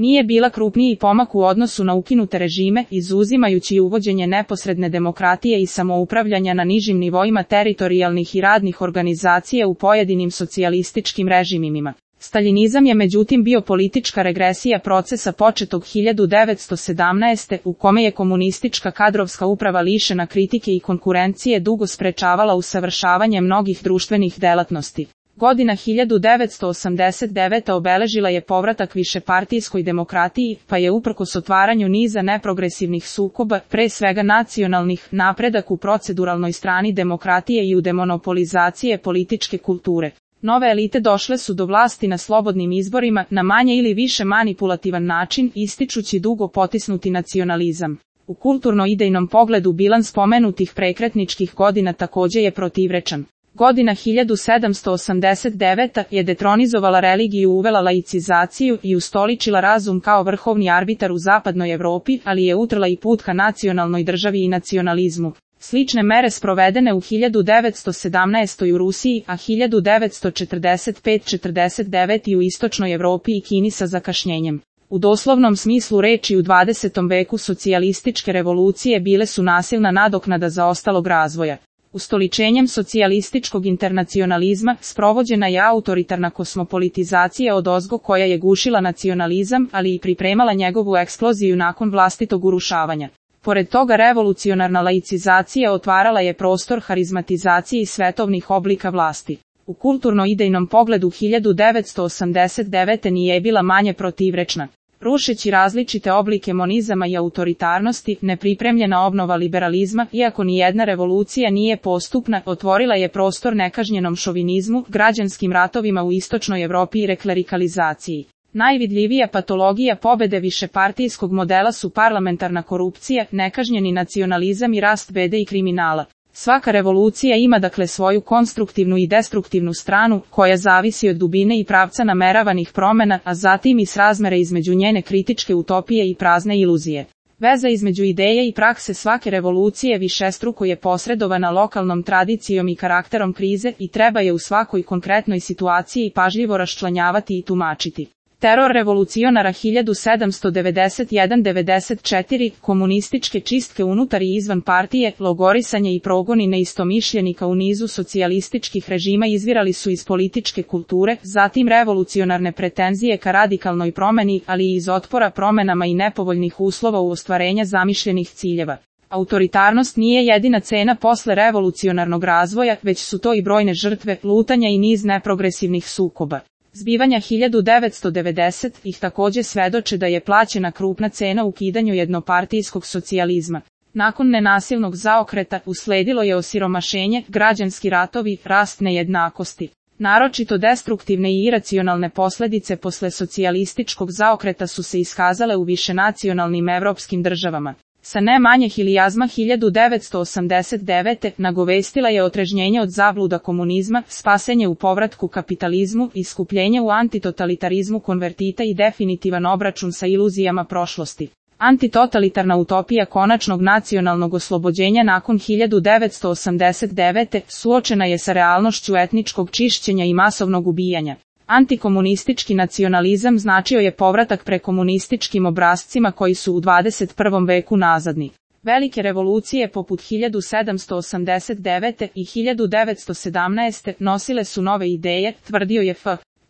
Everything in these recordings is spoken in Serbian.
Nije bila krupniji pomak u odnosu na ukinute režime, izuzimajući uvođenje neposredne demokratije i samoupravljanja na nižim nivoima teritorijalnih i radnih organizacija u pojedinim socijalističkim režimima. Staljinizam je međutim bio politička regresija procesa početog 1917. u kome je komunistička kadrovska uprava lišena kritike i konkurencije dugo sprečavala usavršavanje mnogih društvenih delatnosti. Godina 1989. obeležila je povratak višepartijskoj demokratiji, pa je uprkos otvaranju niza neprogresivnih sukoba, pre svega nacionalnih, napredak u proceduralnoj strani demokratije i u demonopolizacije političke kulture. Nove elite došle su do vlasti na slobodnim izborima, na manje ili više manipulativan način, ističući dugo potisnuti nacionalizam. U kulturno-idejnom pogledu bilans pomenutih prekretničkih godina takođe je protivrečan. Godina 1789. je detronizovala religiju, uvela laicizaciju i ustoličila razum kao vrhovni arbitar u zapadnoj Evropi, ali je utrla i put ka nacionalnoj državi i nacionalizmu. Slične mere sprovedene u 1917. u Rusiji, a 1945-49. u istočnoj Evropi i Kini sa zakašnjenjem. U doslovnom smislu reči u 20. veku socijalističke revolucije bile su nasilna nadoknada zaostalog razvoja. Ustoličenjem socijalističkog internacionalizma sprovođena je autoritarna kosmopolitizacija odozgo koja je gušila nacionalizam, ali i pripremala njegovu eksploziju nakon vlastitog urušavanja. Pored toga revolucionarna laicizacija otvarala je prostor harizmatizaciji svetovnih oblika vlasti. U kulturno-idejnom pogledu 1989. nije bila manje protivrečna. Rušeći različite oblike monizama i autoritarnosti, nepripremljena obnova liberalizma, iako nijedna revolucija nije postupna, otvorila je prostor nekažnjenom šovinizmu, građanskim ratovima u istočnoj Evropi i reklerikalizaciji. Najvidljivija patologija pobede višepartijskog modela su parlamentarna korupcija, nekažnjeni nacionalizam i rast bede i kriminala. Svaka revolucija ima dakle svoju konstruktivnu i destruktivnu stranu, koja zavisi od dubine i pravca nameravanih promena, a zatim i srazmere između njene kritičke utopije i prazne iluzije. Veza između ideje i prakse svake revolucije višestruko je posredovana lokalnom tradicijom i karakterom krize i treba je u svakoj konkretnoj situaciji pažljivo raščlanjavati i tumačiti. Teror revolucionara 1791-94, komunističke čistke unutar i izvan partije, logorisanje i progoni neistomišljenika u nizu socijalističkih režima izvirali su iz političke kulture, zatim revolucionarne pretenzije ka radikalnoj promeni, ali i iz otpora promenama i nepovoljnih uslova u ostvarenja zamišljenih ciljeva. Autoritarnost nije jedina cena posle revolucionarnog razvoja, već su to i brojne žrtve, lutanja i niz neprogresivnih sukoba. Zbivanja 1990 ih takođe svedoče da je plaćena krupna cena ukidanju jednopartijskog socijalizma. Nakon nenasilnog zaokreta usledilo je osiromašenje, građanski ratovi, rast nejednakosti. Naročito destruktivne i iracionalne posledice posle socijalističkog zaokreta su se iskazale u višenacionalnim evropskim državama. Sa ne manje hilijazma 1989. nagovestila je otrežnjenje od zabluda komunizma, spasenje u povratku kapitalizmu, iskupljenje u antitotalitarizmu konvertita i definitivan obračun sa iluzijama prošlosti. Antitotalitarna utopija konačnog nacionalnog oslobođenja nakon 1989. suočena je sa realnošću etničkog čišćenja i masovnog ubijanja. Antikomunistički nacionalizam značio je povratak prekomunističkim obrascima koji su u 21. veku nazadni. Velike revolucije poput 1789. i 1917. nosile su nove ideje, tvrdio je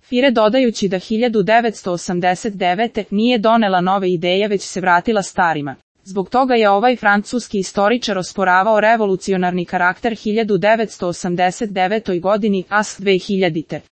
Fire dodajući da 1989. nije donela nove ideje već se vratila starima. Zbog toga je ovaj francuski istoričar osporavao revolucionarni karakter 1989. godini, a 2000.